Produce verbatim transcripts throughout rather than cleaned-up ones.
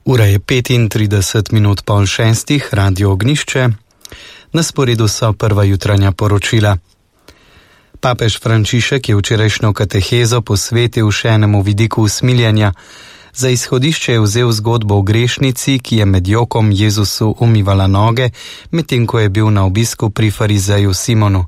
Ura je petintrideset minut pol šestih, Radio Ognišče. Na sporedu so prva jutranja poročila. Papež Frančišek je včerajšnjo katehezo posvetil še enemu vidiku usmiljenja. Za izhodišče je vzel zgodbo o grešnici, ki je med jokom Jezusu umivala noge, medtem ko je bil na obisku pri farizeju Simonu.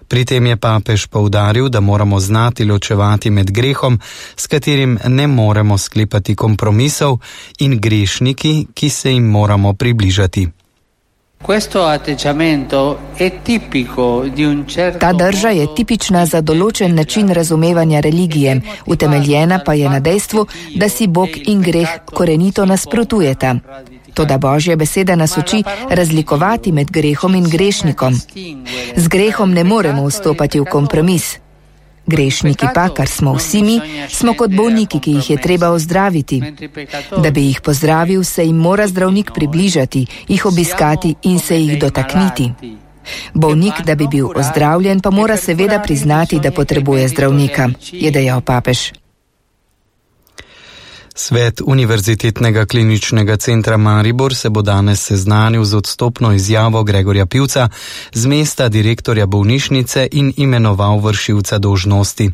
Pri tem je papež poudaril, da moramo znati ločevati med grehom, s katerim ne moremo sklepati kompromisov, in grešniki, ki se jim moramo približati. Ta drža je tipična za določen način razumevanja religije, utemeljena pa je na dejstvu, da si Bog in greh korenito nasprotujeta. Toda Božja beseda nas uči razlikovati med grehom in grešnikom. Z grehom ne moremo vstopati v kompromis. Grešniki pa, kar smo vsi mi, smo kot bolniki, ki jih je treba ozdraviti. Da bi jih pozdravil, se jim mora zdravnik približati, jih obiskati in se jih dotakniti. Bolnik, da bi bil ozdravljen, pa mora seveda priznati, da potrebuje zdravnika, je dejal papež. Svet Univerzitetnega kliničnega centra Maribor se bo danes seznanil z odstopno izjavo Gregorja Pivca z mesta direktorja bolnišnice in imenoval vršilca dolžnosti.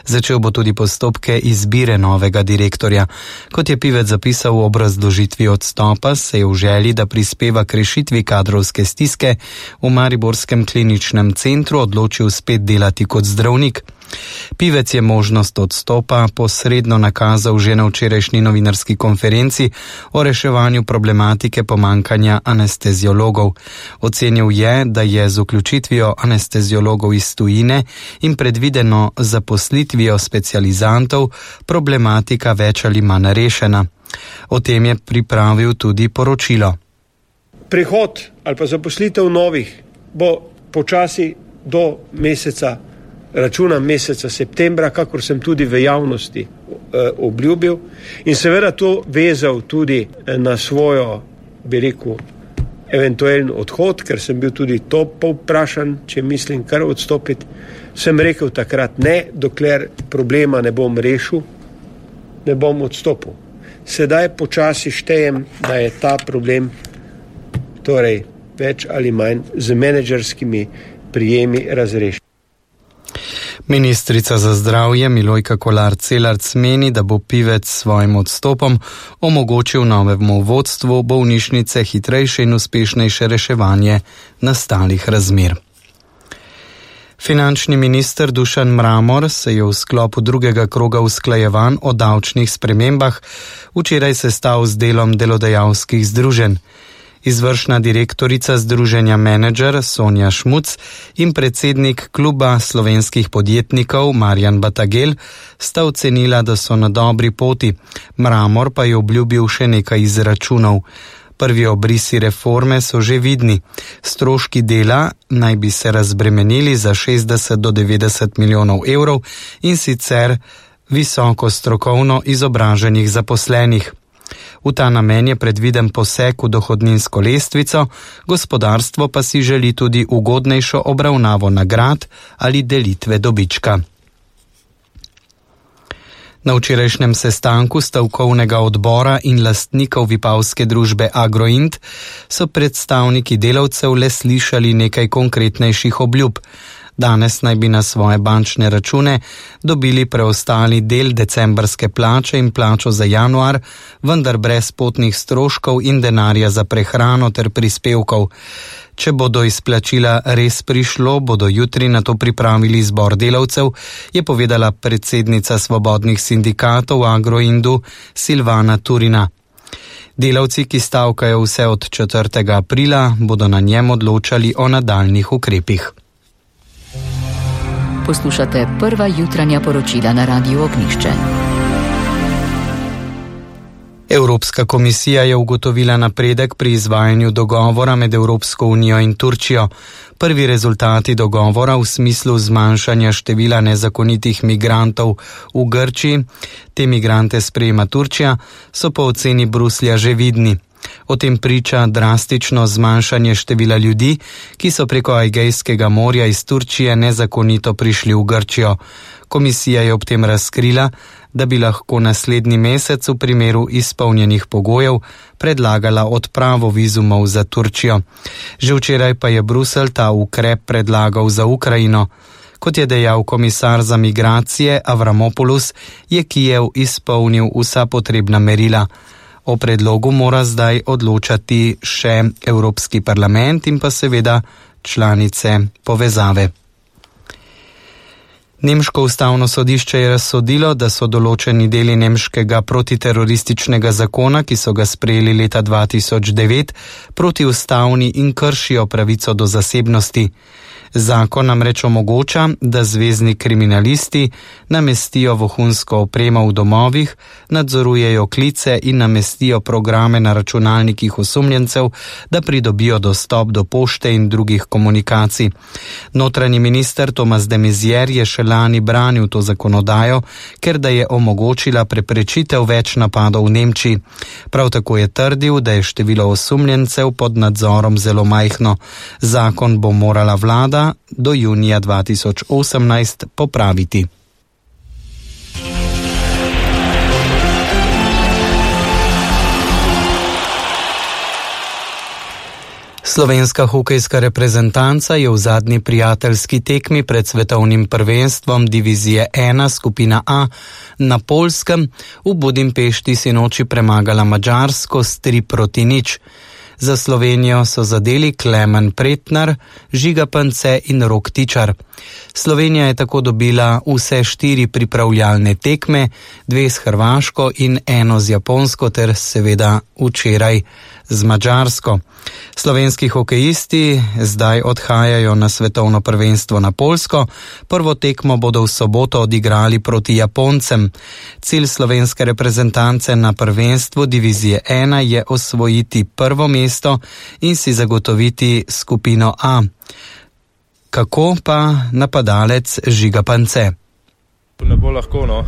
Začel bo tudi postopke izbire novega direktorja. Kot je Pivec zapisal v obrazložitvi odstopa, se je v želji, da prispeva k rešitvi kadrovske stiske, v mariborskem kliničnem centru odločil spet delati kot zdravnik. Pivec je možnost odstopa posredno nakazal že na včerajšnji novinarski konferenci o reševanju problematike pomankanja anesteziologov. Ocenil je, da je z vključitvijo anesteziologov iz tujine in predvideno zaposlitvijo specializantov problematika več ali manj rešena. O tem je pripravil tudi poročilo. Prihod ali pa zaposlitev novih bo počasi do meseca računam meseca septembra, kakor sem tudi v javnosti eh, obljubil, in seveda to vezal tudi na svojo, bi rekel, eventualni odhod, ker sem bil tudi to povprašan, če mislim kar odstopiti. Sem rekel takrat ne, dokler problema ne bom rešil, ne bom odstopil. Sedaj počasi štejem, da je ta problem, torej več ali manj z menedžerskimi prijemi razrešen. Ministrica za zdravje Milojka Kolar Celarc meni, da bo Pivec s svojim odstopom omogočil novemu vodstvu bolnišnice hitrejše in uspešnejše reševanje nastalih razmer. Finančni minister Dušan Mramor se je v sklopu drugega kroga usklajevanj o davčnih spremembah včeraj sestal z delom delodajalskih združenj. Izvršna direktorica združenja Menedžer Sonja Šmuc in predsednik kluba slovenskih podjetnikov Marjan Batagel sta ocenila, da so na dobri poti. Mramor pa je obljubil še nekaj izračunov. Prvi obrisi reforme so že vidni. Stroški dela naj bi se razbremenili za šestdeset do devetdeset milijonov evrov in sicer visoko strokovno izobraženih zaposlenih. V ta namen je predviden poseg v dohodninsko lestvico, gospodarstvo pa si želi tudi ugodnejšo obravnavo nagrad ali delitve dobička. Na včerajšnjem sestanku stavkovnega odbora in lastnikov vipavske družbe Agroint so predstavniki delavcev le slišali nekaj konkretnejših obljub. Danes naj bi na svoje bančne račune dobili preostali del decembrske plače in plačo za januar, vendar brez potnih stroškov in denarja za prehrano ter prispevkov. Če bo do izplačila res prišlo, bodo jutri na to pripravili zbor delavcev, je povedala predsednica svobodnih sindikatov Agroindu Silvana Turina. Delavci, ki stavkajo vse od četrtega aprila, bodo na njem odločali o nadaljnjih ukrepih. Poslušate prva jutranja poročila na Radiu Ognišče. Evropska komisija je ugotovila napredek pri izvajanju dogovora med Evropsko unijo in Turčijo. Prvi rezultati dogovora v smislu zmanjšanja števila nezakonitih migrantov v Grčiji, te migrante sprejema Turčija, so po oceni Bruslja že vidni. O tem priča drastično zmanjšanje števila ljudi, ki so preko Egejskega morja iz Turčije nezakonito prišli v Grčijo. Komisija je ob tem razkrila, da bi lahko naslednji mesec v primeru izpolnjenih pogojev predlagala odpravo vizumov za Turčijo. Že včeraj pa je Bruselj ta ukrep predlagal za Ukrajino. Kot je dejal komisar za migracije Avramopoulos, je Kijev izpolnil vsa potrebna merila. O predlogu mora zdaj odločati še Evropski parlament in pa seveda članice povezave. Nemško ustavno sodišče je razsodilo, da so določeni deli nemškega protiterorističnega zakona, ki so ga sprejeli leta dva tisoč devet, protiustavni in kršijo pravico do zasebnosti. Zakon namreč omogoča, da zvezni kriminalisti namestijo vohunsko opremo v domovih, nadzorujejo klice in namestijo programe na računalnikih osumljencev, da pridobijo dostop do pošte in drugih komunikacij. Notranji minister Thomas de Maizière je še lani branil to zakonodajo, ker da je omogočila preprečitev več napadov v Nemčiji. Prav tako je trdil, da je število osumljencev pod nadzorom zelo majhno. Zakon bo morala vlada do junija dva tisoč osemnajst popraviti. Slovenska hokejska reprezentanca je v zadnji prijateljski tekmi pred svetovnim prvenstvom divizije ena skupina A na Poljskem v Budimpešti sinoči premagala Madžarsko s tri proti nič. Za Slovenijo so zadeli Klemen Pretnar, Žiga Pance in Rok Tičar. Slovenija je tako dobila vse štiri pripravljalne tekme, dve s Hrvaško in eno z Japonsko ter seveda včeraj z Madžarsko. Slovenski hokejisti zdaj odhajajo na svetovno prvenstvo na Poljsko. Prvo tekmo bodo v soboto odigrali proti Japoncem. Cilj slovenske reprezentance na prvenstvu divizije ena je osvojiti prvo mesto in si zagotoviti skupino A. Kako pa napadalec Žiga Pance? Ne bo lahko, no.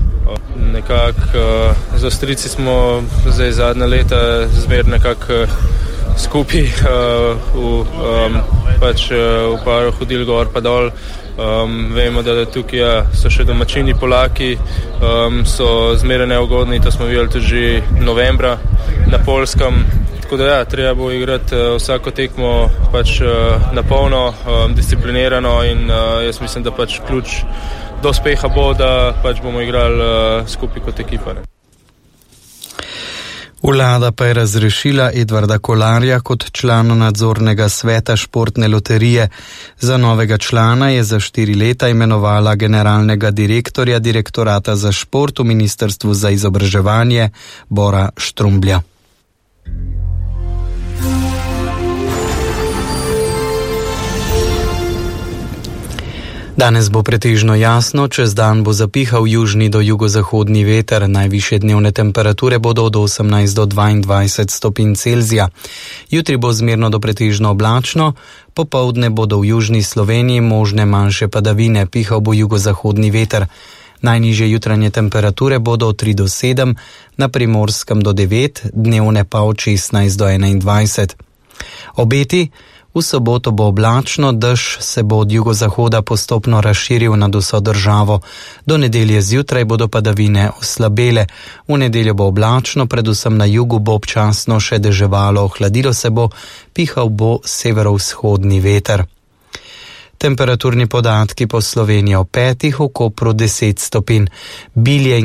Nekako uh, z Avstrijci smo zdaj zadnja leta zmer nekako uh, skupaj uh, v, um, pač, uh, v paru hodili gor pa dol. Um, vemo, da tukaj ja, so še domačini Polaki, um, so zmeraj neugodni, to smo videli tudi že novembra na Poljskem. Tako da ja, treba bo igrati uh, vsako tekmo pač uh, na polno, um, disciplinirano in uh, jaz mislim, da pač ključ do uspeha bo, da pač bomo igrali uh, skupaj kot ekipa. Ne. Vlada pa je razrešila Edvarda Kolarja kot člana nadzornega sveta športne loterije. Za novega člana je za štiri leta imenovala generalnega direktorja direktorata za šport v Ministrstvu za izobraževanje Bora Štrumblja. Danes bo pretežno jasno, čez dan bo zapihal južni do jugozahodni veter, najvišje dnevne temperature bodo od osemnajst do dvaindvajset stopinj Celzija. Jutri bo zmerno do pretežno oblačno, popoldne bodo v južni Sloveniji možne manjše padavine, pihal bo jugozahodni veter. Najnižje jutranje temperature bodo od tri do sedem, na Primorskem do devet, dnevne pa od šestnajst do enaindvajset. Obeti: v soboto bo oblačno, dež se bo od jugozahoda postopno razširil nad vso državo. Do nedelje zjutraj bodo padavine oslabele. V nedeljo bo oblačno, predvsem na jugu bo občasno še deževalo, ohladilo se bo, pihal bo severovzhodni veter. Temperaturni podatki po Sloveniji: v petih, v Kopru deset stopinj, Bilje in